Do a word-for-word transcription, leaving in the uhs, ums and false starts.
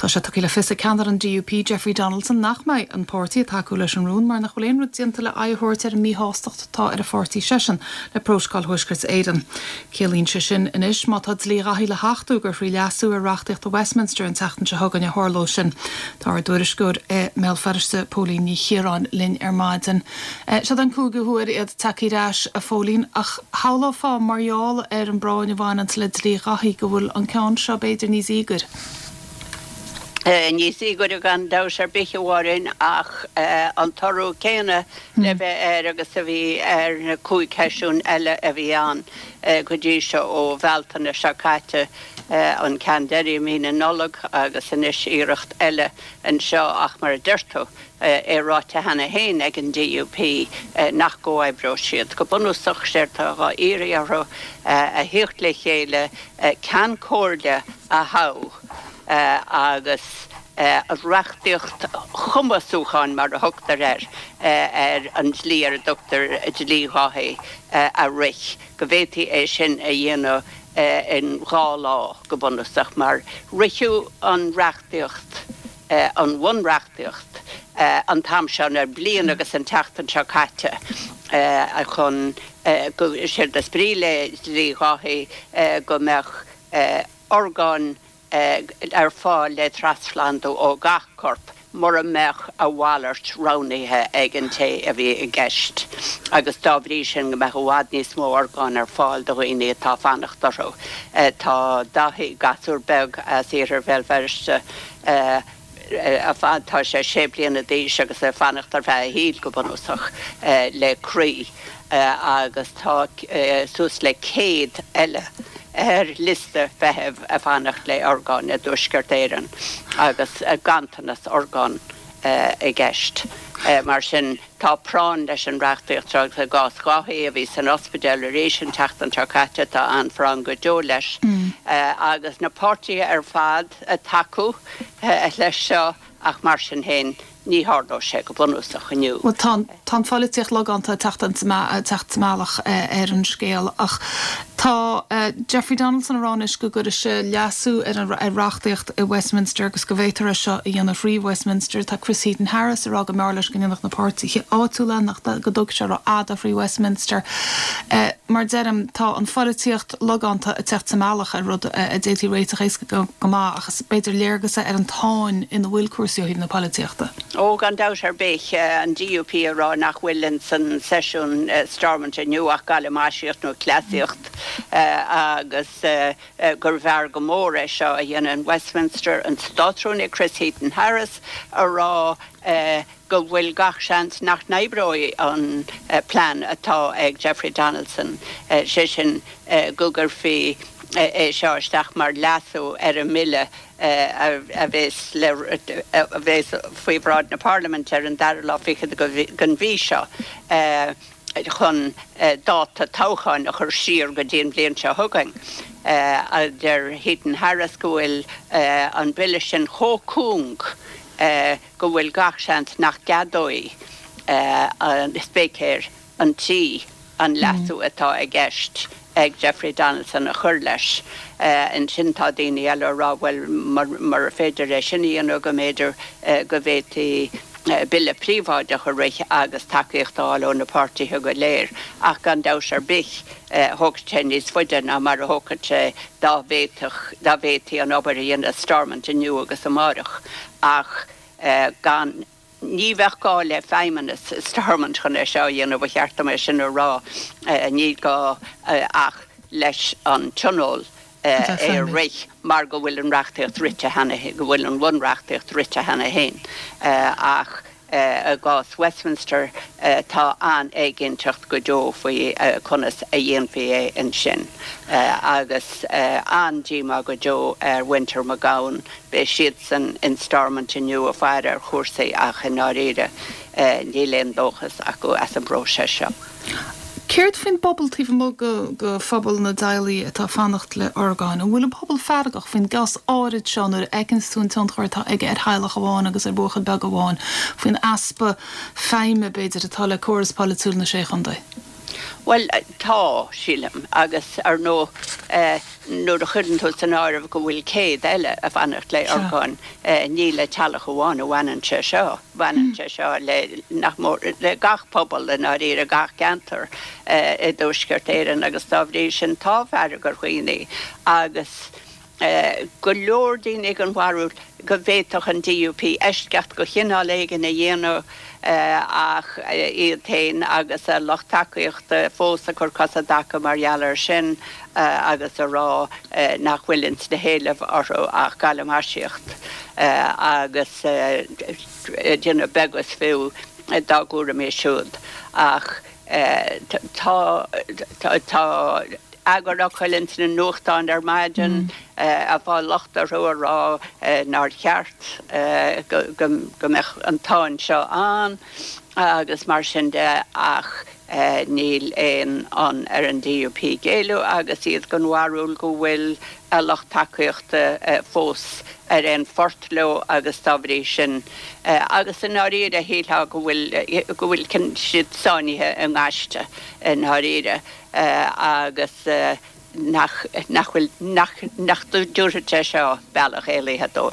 Tá sé tugtha le fios ag ceannaire an DUP Jeffrey Donaldson nach mbeidh an páirtí ag tacú leis an rún mar nach bhfuil aon rud déanta le aghaidh a thabhairt ar an míshástacht atá ar an pháirtí seisean le Prótacal Thuaisceart Éireann. Ciallaíonn sé sin anois má tá dlí Dhaithí le hachtú gur thrí leasú ar reachtaíocht Westminster an tseachtain seo chugainn a tharlóidh sin. Tá ár dtuairisceoir i mBéal Feirste Póilín Ní Chiaráin linn ar maidin. Seo an cúigiú huair iad tagtha ar ais a Phóilín ach shamhlófá mar gheall ar an bpráinn a bhaineann le dlí Dhaithí go bhfuil an ceann seo b'fhéidir níos íogaire. Níos íogaire gan dabht ar bith amháin ach an toradh céanna le bheith air agus a bhí ar na cúig sheisiún eile a bhí ann go dtí seo ó Bhealtaine seo caite an ceann deiridh mí na Nollag agus anois iarracht eile anseo ach mar a deir tú é ráite cheana féin ag an DUP nach gcomhoibreoidh siad. Go bunúsach séard atá á iarraidh orthu a theacht le chéile ceann comhairle a thoghadh. agus reachtaíocht chumasúcháin mar a thugtar air ar an dlí ar a dtugtar dlí Dhaithí a rith, go bhféadfaí é sin a dhéanamh in dhá lá go bunúsach mar ritheadh an reachtaíocht an bhunreachtaíocht an t-am seo ar bliain agus an tseachtain seo caite chun go séard is brí le dlí Dhaithí go mbeadh orgáin ar fáil le trasphlandú ó gach corp mura mbeadh a mhalairt roghnaithe ag an té a bhí i gceist agus dá bhrí sin go mbeadh i bhfad níos mó orgán ar fáil do dhaoine atá ag fanacht orthu. Tá Daithí gasúr beag as iarthar Bhéal Feirste tá sé sé bliana d'aois agus ag fanacht ar feadh a shaoil go bunúsach le croí agus tá suas le céad eile ar liosta feithimh ag fanacht le orgán i dTuaisceart Éireann agus ganntanas orgán i gceist. Mar sin tá práinn leis an reachtaíocht seo agus i gcás Dhaithí a bhí san ospidéal arís an tseachtain seo caite tá an-phráinn go deo leis agus na páirtithe ar fad ag tacú leis seo ach mar sin féin ní tharlóidh sé go bunúsach inniu. Well tá tá an pholaitíocht logánta teacht teacht sa mbealach ar an scéal ach tá Jeffrey Donaldson ag rá anois go gcuirfidh sé leasú ar an ar reachtaíocht i Westminster agus go bhféadfar é seo a dhéanamh thrí Westminster tá Chris Heaton Harris ag rá go mb'fhearr leis go ndéanfadh na páirtithe áitiúla nach go dtógfadh sé rófhada thrí Westminster. Mar deirim tá an pholaitíocht logánta ag teacht sa mbealach ar rud a d'fhéadfaí réiteach éasca go go maith ach b'fhéidir léargas ar an tsáinn ina bhfuil cúrsaí ó thaobh na polaitíochta. Ó gan dabht ar bith an DUP ag rá nach bhfuil in san seisiún Stormont inniu ach galamaisíocht nó cleasaíocht agus gurbh fhearr go mór é seo a dhéanamh in Westminster an Státrúnaí Chris Heaton Harris ag rá go bhfuil gach seans nach n-oibreoidh an plean atá ag Jeffrey Donaldson sé sin go gcuirfí é seo isteach mar leasú ar an mbille a bheas le a bheas faoi bhráid na Parlaiminte ar an dara lá fichead den mhí seo chun dáta toghcháin a chur siar go dtí an bhliain seo chugainn. Deir Heaton Harris go bhfuil an bille sin chomh cúng go bhfuil gach seans nach gceadóidh an spéicéir an tí an leasú atá i gceist ag Jeffrey Donaldson a chur leis. Ansin tá daoine eile ag rá bhuel mura féidir é sin a dhéanamh go mb'fhéidir go bhféadfaí bille príobháideach a rith agus tacaíocht a fháil ó na páirtithe go léir ach gan dabht ar bith thógfadh sé níos faide ná mar a thógfadh sé dá bhféadfadh dá bhféadfaí an obair a dhéanamh Stormont inniu agus amárach ach gan ní bheadh gá le feidhmeannas Stormont chun é seo a dhéanamh ba cheart dom é sin a rá ní gá ach leis an tionól é a rith mar go bhfuil an reachtaíocht rite cheana go bhfuil an bhunreachtaíocht rite cheana féin ach i gcás Westminster tá an-éiginnteacht go deo faoi conas a dhéanfaí é ansin agus an-díomá go deo ar mhuintir McGowan beidh siadsan in Stormont inniu ag faire ar chúrsaí ach i ndáiríre níl aon dóchas acu as an bpróiseas seo. Céard faoin bpobal taobh amuigh de phobal na dteaghlach atá ag fanacht le orgáin? An bhfuil an pobal feargach faoin gcás áirid seo nuair a fheiceann tú an tionchar atá aige ar theaghlach amháin agus ar bhuachaill beag amháin faoin easpa feidhme b'fhéidir atá le córas polaitiúil na Sé Chontae? Well tá sílim agus ar ndóigh nuair a chuireann tú san áireamh go bhfuil céad eile ag fanacht le orgáin ní le teaghlach amháin a bhaineann sé seo, baineann sé seo le nach mór le gach pobal i ndáiríre gach ceantar i dTuaisceart Éireann agus dá bhrí sin tá fearg ar dhaoine agus go leor daoine den bharúil go bhféadfadh an DUP eisceacht de chineál éigin a dhéanamh ach iad féin agus a lucht tacaíochta fós ag cur cos i dtaca mar gheall air sin agus a rá nach bhfuil ins na héilimh orthu ach galamaisíocht agus déanamh beag is fiú dá gcúraimí siúd ach tá tá eagarfhocail ins na nuachtáin ar maidin ag fáil locht orthu a rá nár cheart go mbeadh an tsáinn seo ann agus mar sin de ach níl aon fhonn ar an DUP géilleadh agus iad den bharúil go bhfuil a lucht tacaíochta fós ar aon phort leo agus dá bhrí sin agus i ndáiríre shílfeá go bhfuil go bhfuil siad sáinnithe i ngaiste i ndáiríre agus nach nach bhfuil nach nach dtabharfaidh sé seo bealach éalaithe dóibh.